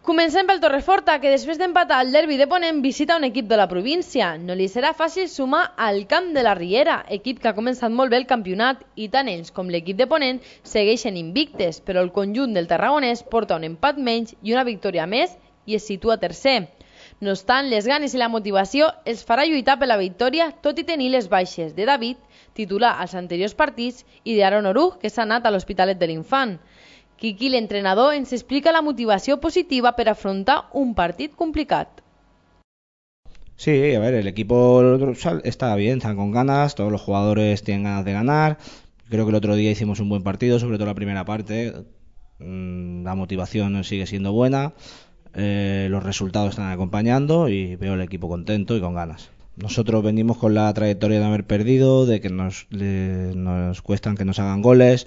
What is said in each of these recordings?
Comencem pel Torreforta, que després d'empatar el derbi de Ponent visita un equip de la província. No li serà fàcil sumar al camp de la Riera, equip que ha començat molt bé el campionat, i tant ells com l'equip de Ponent segueixen invictes, però el conjunt del tarragonès porta un empat menys i una victòria més i es situa tercer. No obstant, les ganes i la motivació els farà lluitar per la victòria, tot i tenir les baixes de David, titular als anteriors partits, i d'Aaron Oruj, que s'ha anat a l'Hospitalet de l'Infant. Quiqui, l'entrenador, ens explica la motivació positiva per afrontar un partit complicat. Sí, a ver, el equipo está bien, están con ganas, todos los jugadores tienen ganas de ganar. Creo que el otro día hicimos un buen partido, sobre todo la primera parte. La motivación sigue siendo buena, los resultados están acompañando y veo el equipo contento y con ganas. Nosotros venimos con la trayectoria de haber perdido, de que nos cuestan que nos hagan goles.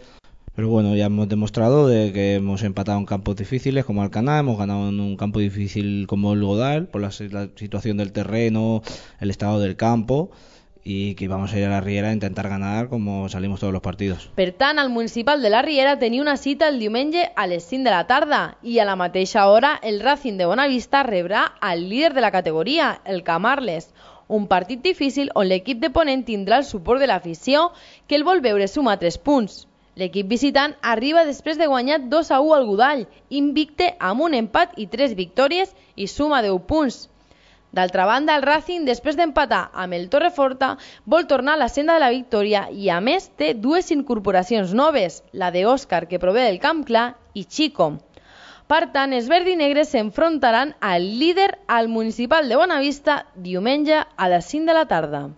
Pero bueno, ya hemos demostrado de que hemos empatado en campos difíciles como Alcaná, hemos ganado en un campo difícil como el Godal, por la situación del terreno, el estado del campo, y que vamos a ir a la Riera a intentar ganar como salimos todos los partidos. Per tant, el municipal de la Riera tenia una cita el diumenge a les 5 de la tarda i a la mateixa hora el Racing de Bonavista rebrà al líder de la categoria, el Camarles. Un partit difícil on l'equip de Ponent tindrà el suport de l'afició que el vol veure sumar 3 punts. L'equip visitant arriba després de guanyar 2-1 al Godall, invicte amb un empat i 3 victòries i suma 10 punts. D'altra banda, el Racing, després d'empatar amb el Torreforta, vol tornar a la senda de la victòria i a més té 2 incorporacions noves, la d'Òscar, que prové del Camp Clar, i Chico. Per tant, els verds i negres s'enfrontaran al líder al municipal de Bonavista diumenge a les 5 de la tarda.